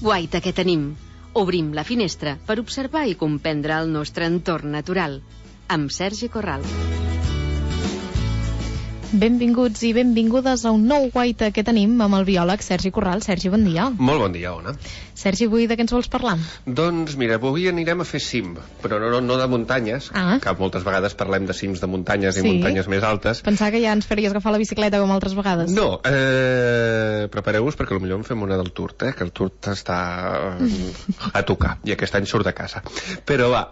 guaita que tenim. Obrim la finestra per observar i comprendre el nostre entorn natural. Amb Sergi Corral. Benvinguts i benvingudes a un nou guaita que tenim amb el biòleg Sergi Corral. Sergi, bon dia. Molt bon dia, Ona. Sergi, avui de què ens vols parlar? Doncs mira, avui anirem a fer cim, però no de muntanyes, que moltes vegades parlem de cims de muntanyes i muntanyes més altes. Pensava que ja ens faries agafar la bicicleta com altres vegades. No, prepareu-vos perquè potser en fem una del Tour, que el Tour està a tocar, i aquest any surt de casa. Però va,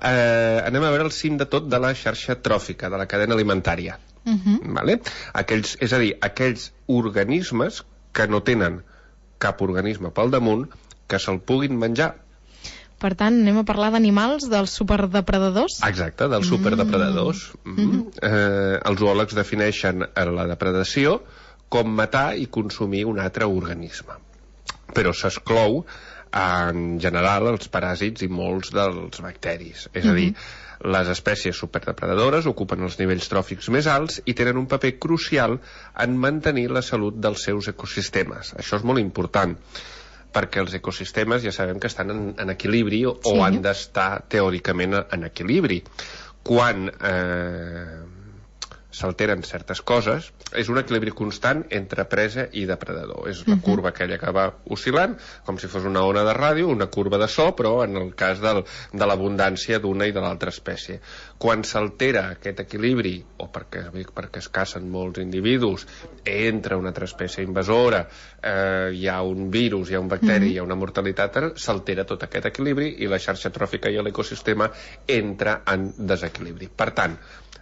anem a veure el cim de tot de la xarxa tròfica, de la cadena alimentària. Vale? És a dir, aquells organismes que no tenen cap organisme pel damunt que se'l puguin menjar. Per tant, anem a parlar d'animals, dels superdepredadors? Exacte, dels superdepredadors. Els zoòlegs defineixen la depredació com matar i consumir un altre organisme. Però s'exclou en general els paràsits i molts dels bacteris. És a dir, les espècies superdepredadores ocupen els nivells tròfics més alts i tenen un paper crucial en mantenir la salut dels seus ecosistemes. Això és molt important, perquè els ecosistemes ja sabem que estan en equilibri o han d'estar teòricament en equilibri. Quan s'alteren certes coses, és un equilibri constant entre presa i depredador. És la curva aquella que va oscil·lant, com si fos una ona de ràdio, una curva de so, però en el cas de l'abundància d'una i de l'altra espècie. Quan s'altera aquest equilibri, o perquè es cacen molts individus, entra una altra espècie invasora, hi ha un virus, hi ha un bacteri, hi ha una mortalitat, s'altera tot aquest equilibri i la xarxa tròfica i l'ecosistema entra en desequilibri. Per tant,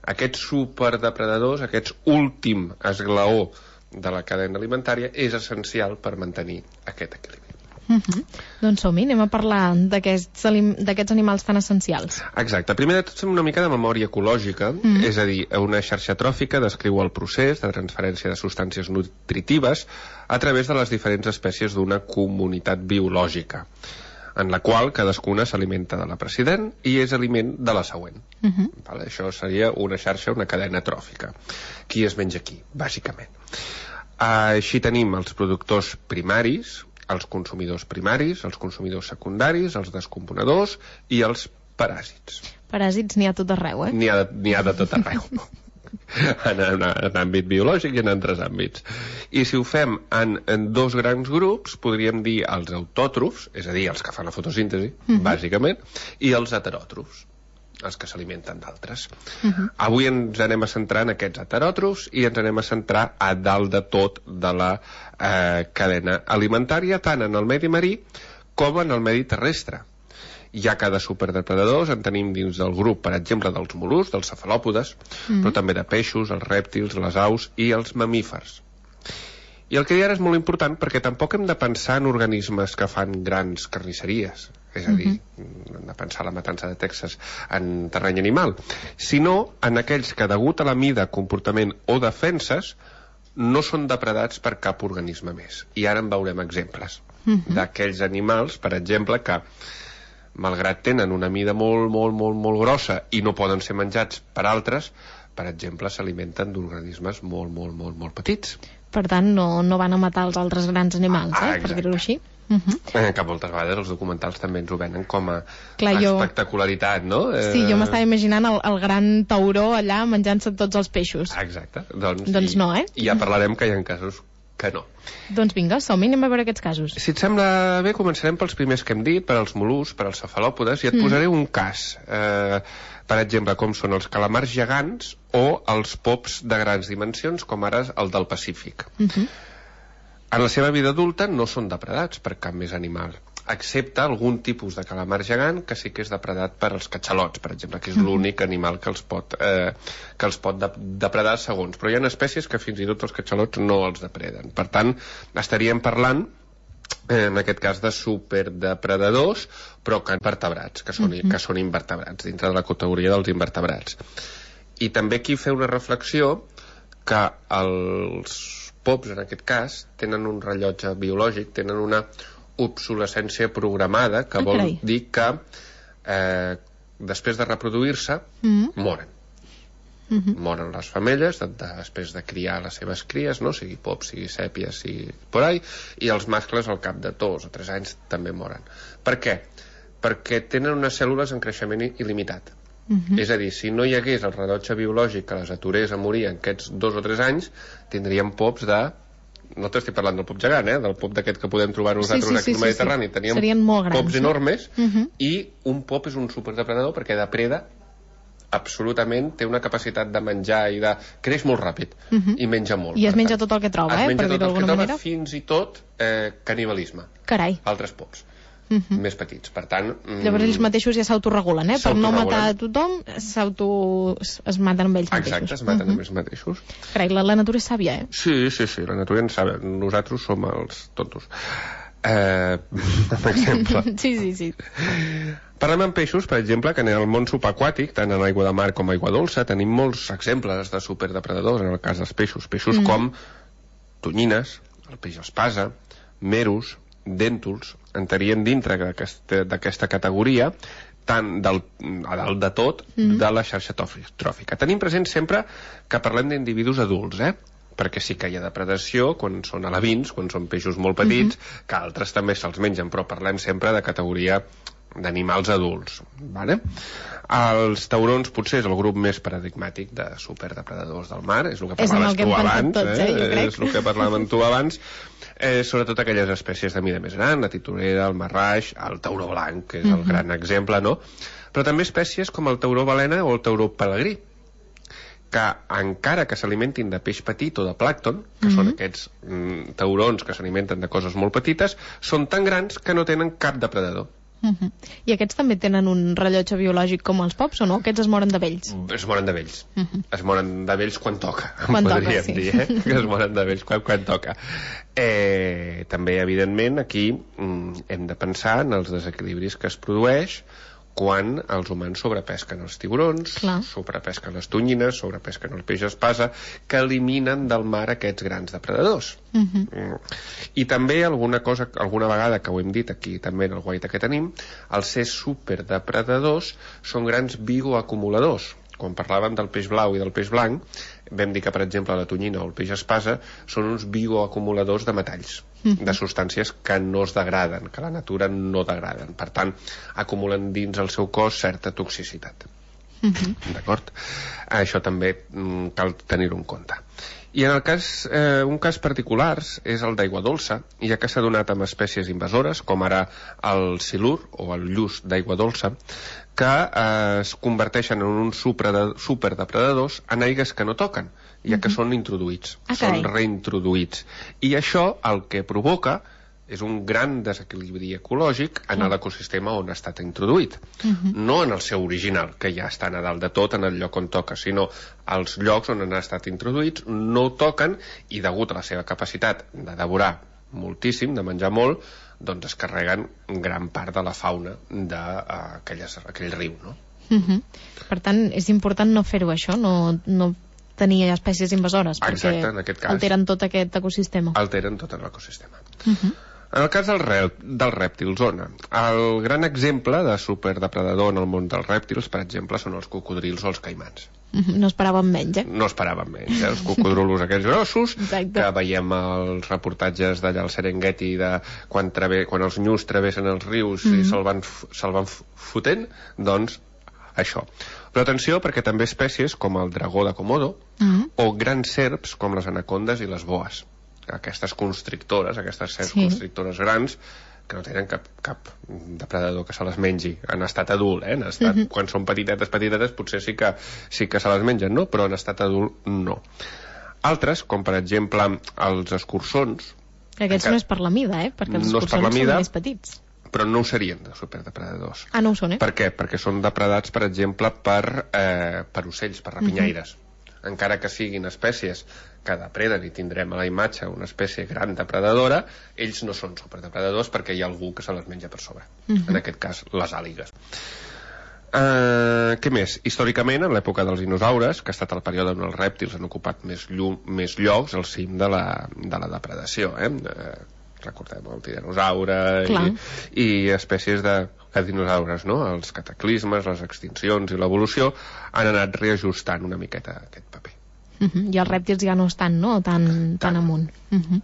aquests superdepredadors, aquest últim esglaó de la cadena alimentària, és essencial per mantenir aquest equilibri. Doncs som-hi, anem a parlar d'aquests animals tan essencials. Exacte. Primer de tot fem una mica de memòria ecològica, és a dir, una xarxa tròfica descriu el procés de transferència de substàncies nutritives a través de les diferents espècies d'una comunitat biològica, en la qual cadascuna s'alimenta de la precedent i és aliment de la següent. Això seria una xarxa, una cadena tròfica. Qui es menja qui, bàsicament. Així tenim els productors primaris, els consumidors primaris, els consumidors secundaris, els descomponedors i els paràsits. Paràsits n'hi ha tot arreu, N'hi ha de tot arreu. En àmbit biològic i en altres àmbits. I si ho fem en dos grans grups, podríem dir els autòtrofs, és a dir, els que fan la fotosíntesi, bàsicament, i els heteròtrofs, els que s'alimenten d'altres. Avui ens anem a centrar en aquests heteròtrofs i ens anem a centrar a dalt de tot de la cadena alimentària, tant en el medi marí com en el medi terrestre. Hi ha cada superdepredadors, en tenim dins del grup, per exemple, dels mol·luscs, dels cefalòpodes, però també de peixos, els rèptils, les aus i els mamífers. I el que hi ara és molt important perquè tampoc hem de pensar en organismes que fan grans carnisseries, és a dir, hem de pensar la matança de Texas en terreny animal, sinó en aquells que, degut a la mida, comportament o defenses, no són depredats per cap organisme més. I ara en veurem exemples d'aquells animals, per exemple, que malgrat tenen una mida molt grossa i no poden ser menjats per altres, per exemple, s'alimenten d'organismes molt petits. Per tant, no van a matar els altres grans animals, per dir-ho així. Que moltes vegades els documentals també ens ho venen com a espectacularitat, no? Sí, jo m'estava imaginant el gran tauró allà menjant-se tots els peixos. Exacte. Doncs no, I ja parlarem que hi ha casos que no. Doncs vinga, som-hi, anem a veure aquests casos. Si et sembla bé, començarem pels primers que hem dit, per als mol·luscs, per als cefalòpodes, i et posaré un cas, per exemple, com són els calamars gegants o els pops de grans dimensions, com ara el del Pacífic. En la seva vida adulta no són depredats per cap més animal, excepte algun tipus de calamar gegant que sí que és depredat per als catxalots, per exemple, que és l'únic animal que els pot depredar segons. Però hi ha espècies que fins i tot els catxalots no els depreden. Per tant, estaríem parlant, en aquest cas, de superdepredadors, però que vertebrats, que són invertebrats, dintre de la categoria dels invertebrats. I també aquí fer una reflexió que els pops, en aquest cas, tenen un rellotge biològic, tenen una obsolescència programada, que vol dir que després de reproduir-se moren. Moren les femelles després de criar les seves cries, no? Sigui pop, sigui sèpia, sigui por ahí, i els mascles al cap de 2 o 3 anys també moren. Per què? Perquè tenen unes cèl·lules en creixement il·limitat. És a dir, si no hi hagués el rellotge biològic que les aturés a morir en aquests 2 o 3 anys, tindríem pops de... No t'estic parlant del pop gegant, del pop d'aquest que podem trobar nosaltres aquí al Mediterrani. Serien molt grans, pops enormes, i un pop és un superdepredador perquè depreda absolutament, té una capacitat de menjar i de... creix molt ràpid i menja molt. I es menja tot el que troba, per dir-ho d'alguna manera. Fins i tot canibalisme. Carai. Altres pops. Més petits, per tant... Llavors ells mateixos ja s'autoregulen, per no matar a tothom es maten amb ells mateixos. Exacte, es maten amb ells mateixos. Carai, la natura és sàvia, Sí, la natura és sàvia. Nosaltres som els tontos. Per exemple. Sí. Parlem amb peixos, per exemple, que en el món subaquàtic, tant en aigua de mar com aigua dolça, tenim molts exemples de superdepredadors, en el cas dels peixos. Peixos com tonyines, el peix espasa, merus, dèntols, entrarien dintre d'aquesta categoria tant a dalt de tot de la xarxa tròfica. Tenim present sempre que parlem d'individus adults, perquè sí que hi ha depredació quan són alevins, quan són peixos molt petits, que altres també se'ls mengen, però parlem sempre de categoria d'animals adults, vale? Els taurons potser és el grup més paradigmàtic de superdepredadors del mar, és el que parlaves tu abans, és el que parlàvem tu abans, sobretot aquelles espècies de mida més gran, la titorera, el marraix, el tauró blanc, que és el gran exemple, no? Però també espècies com el tauró balena o el tauró pelegrí, que encara que s'alimentin de peix petit o de plàncton, que són aquests taurons que s'alimenten de coses molt petites, són tan grans que no tenen cap depredador. I aquests també tenen un rellotge biològic com els pops o no? Aquests es moren de vells? Es moren de vells. Es moren de vells quan toca, podríem dir, que es moren de vells quan toca. També, evidentment, aquí hem de pensar en els desequilibris que es produeix quan els humans sobrepesquen els tiburons, sobrepesquen les tonyines, sobrepesquen el peix espasa, que eliminen del mar aquests grans depredadors. I també alguna vegada que ho hem dit aquí també en el guaita que tenim, els ser superdepredadors són grans bioacumuladors. Quan parlàvem del peix blau i del peix blanc, vam dir que, per exemple, la tonyina o el peix espasa són uns bioacumuladors de metalls, de substàncies que no es degraden, que la natura no degraden. Per tant, acumulen dins el seu cos certa toxicitat. D'acord? Això també cal tenir-ho en compte. I en el cas, un cas particular és el d'aigua dolça, ja que s'ha donat amb espècies invasores, com ara el silur o el lluç d'aigua dolça, que es converteixen en uns superdepredadors en aigues que no toquen, ja que són introduïts, són reintroduïts. I això el que provoca és un gran desequilibri ecològic en l'ecosistema on ha estat introduït. No en el seu original, que ja estan a dalt de tot en el lloc on toca, sinó als llocs on han estat introduïts no toquen i degut a la seva capacitat de devorar moltíssim, de menjar molt, doncs es carreguen gran part de la fauna d'aquell riu, no? Per tant, és important no fer-ho això, no tenir espècies invasores, perquè alteren tot aquest ecosistema. Alteren tot l'ecosistema. En el cas dels rèptils, el gran exemple de superdepredador en el món dels rèptils, per exemple, són els cocodrils o els caimans. No esperàvem menys, No esperàvem menys, els cocodrilos aquells grossos, que veiem els reportatges d'allà al Serengeti de quan els nyus travessen els rius i se'l van fotent, doncs això. Però atenció, perquè també espècies com el dragó de Komodo o grans serps com les anacondes i les boes, aquestes constrictores, aquestes serps constrictores grans, que no tenen cap depredador que se les mengi en estat adult, en estat, quan són petitetes, potser sí que se les mengen, no? Però en estat adult no. Altres, com per exemple els escurçons, aquests no és per la mida, perquè els escurçons són més petits, però no ho serien de superdepredadors. No ho són, Per què? Perquè són depredats, per exemple, per ocells, per rapinyaires. Encara que siguin espècies que depreden i tindrem a la imatge una espècie gran depredadora, ells no són superdepredadors perquè hi ha algú que se les menja per sobre. En aquest cas, les àligues. Què més? Històricament, en l'època dels dinosaures, que ha estat el període on els rèptils han ocupat més llocs al cim de la depredació, recordem el tiranosaure i espècies dinosaures, no? Els cataclismes, les extincions i l'evolució han anat reajustant una miqueta aquest paper. I els rèptils ja no estan, no?, tan amunt.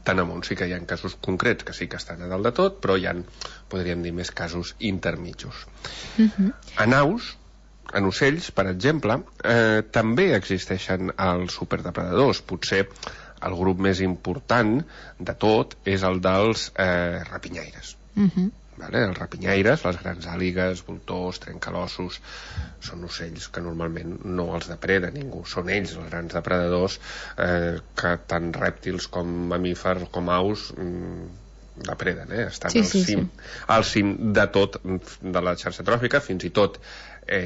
Tan amunt, sí que hi ha casos concrets que sí que estan a dalt de tot, però hi ha, podríem dir, més casos intermitjos. En aus, en ocells, per exemple, també existeixen els superdepredadors. Potser el grup més important de tot és el dels rapinyaires. Els rapinyaires, les grans àligues, voltors, trencalossos, són ocells que normalment no els depreda ningú. Són ells els grans depredadors que tant rèptils com mamífers com aus depreden, estan al cim de tot, de la xarxa tròfica. Fins i tot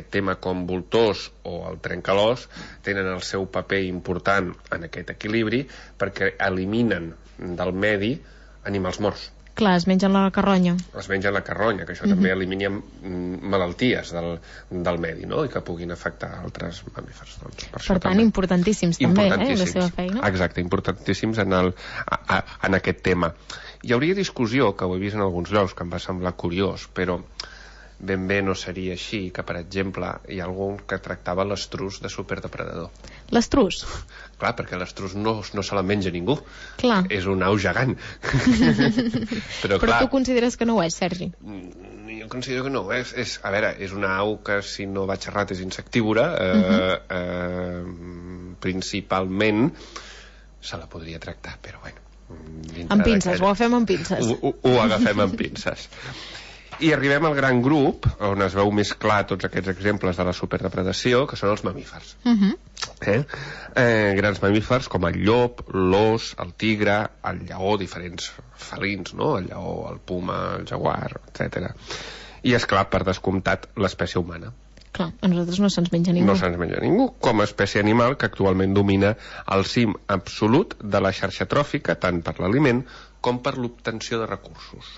tema com voltors o el trencalòs tenen el seu paper important en aquest equilibri, perquè eliminen del medi animals morts. Clar, es mengen la carronya. Es mengen la carronya, que això també elimina malalties del medi, no?, i que puguin afectar altres mamífers. Doncs, per tant, importantíssims també, la seva feina. Exacte, importantíssims en aquest tema. Hi hauria discussió, que ho he vist en alguns llocs, que em va semblar curiós, però ben bé no seria així, que per exemple hi ha algun que tractava l'estrus de superdepredador. L'estrus? Clar, perquè l'estrus no se la menja ningú. Clar. És un au gegant. Però tu consideres que no ho és, Sergi? Jo considero que no ho és. A veure, és una au que, si no vaig errat, és insectívora. Principalment se la podria tractar, però bueno. Amb pinces, ho agafem amb pinces. Ho agafem amb pinces. I arribem al gran grup, on es veu més clar tots aquests exemples de la superdepredació, que són els mamífers. Grans mamífers com el llop, l'ós, el tigre, el lleó, diferents felins, no? El lleó, el puma, el jaguar, etc. I, esclar, per descomptat, l'espècie humana. Clar, a nosaltres no se'ns menja ningú. No se'ns menja ningú, com a espècie animal que actualment domina el cim absolut de la xarxa tròfica, tant per l'aliment com per l'obtenció de recursos.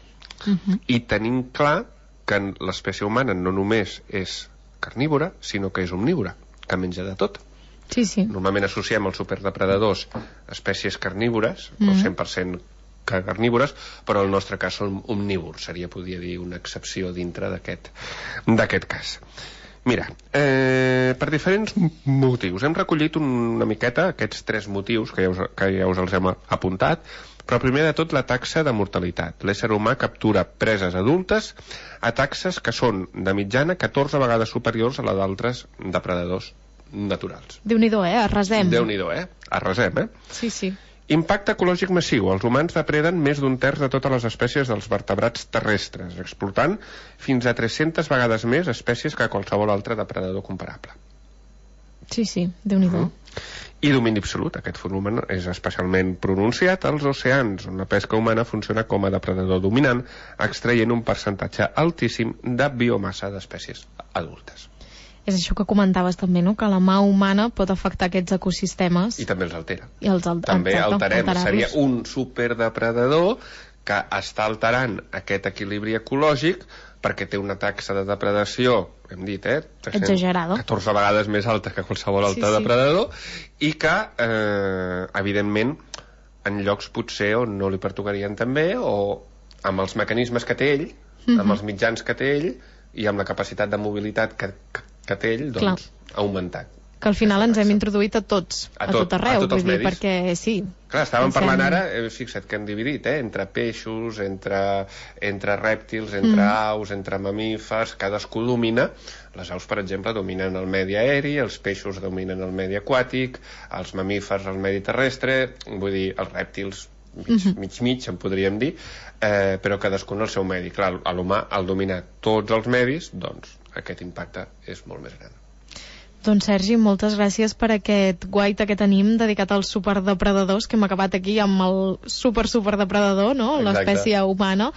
I tenim clar que l'espècie humana no només és carnívora, sinó que és omnívora, que menja de tot. Sí. Normalment associem els superdepredadors a espècies carnívores, o 100% carnívores, però en el nostre cas són omnívors. Podria dir, una excepció dintre d'aquest cas. Mira, per diferents motius. Hem recollit una miqueta aquests 3 motius que ja us els hem apuntat, però primer de tot la taxa de mortalitat. L'ésser humà captura preses adultes a taxes que són de mitjana 14 vegades superiors a la d'altres depredadors naturals. Déu-n'hi-do, arrasem. Déu-n'hi-do, arrasem, Sí. Impacte ecològic massiu. Els humans depreden més d'un terç de totes les espècies dels vertebrats terrestres, explotant fins a 300 vegades més espècies que qualsevol altre depredador comparable. Sí, Déu-n'hi-do. I domini absolut. Aquest fenomen és especialment pronunciat als oceans, on la pesca humana funciona com a depredador dominant, extraient un percentatge altíssim de biomassa d'espècies adultes. És això que comentaves també, no?, que la mà humana pot afectar aquests ecosistemes. I també els altera. També alterem. Seria un superdepredador que està alterant aquest equilibri ecològic perquè té una taxa de depredació, hem dit, exagerada, 14 vegades més alta que qualsevol altre depredador, i que, evidentment, en llocs potser on no li pertocarien també, o amb els mecanismes que té ell, amb els mitjans que té ell, i amb la capacitat de mobilitat que té ell, doncs, ha augmentat. Que al final ens hem introduït a tots, a tot arreu, vull dir, perquè sí. Clar, estàvem parlant ara, fixa't que hem dividit, entre peixos, entre rèptils, entre aus, entre mamífers, cadascú domina. Les aus, per exemple, dominen el medi aeri, els peixos dominen el medi aquàtic, els mamífers el medi terrestre, vull dir, els rèptils mig, en podríem dir, però cadascú en el seu medi. Clar, l'humà, al dominar tots els medis, doncs aquest impacte és molt més gran. Doncs Sergi, moltes gràcies per aquest guaita que tenim dedicat als superdepredadors, que hem acabat aquí amb el superdepredador, no?, l'espècie humana,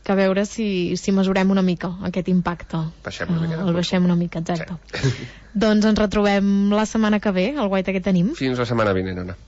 que a veure si mesurem una mica aquest impacte. El baixem una mica, exacte. Sí. Doncs ens retrobem la setmana que ve, el guaita que tenim. Fins la setmana vinent, Anna.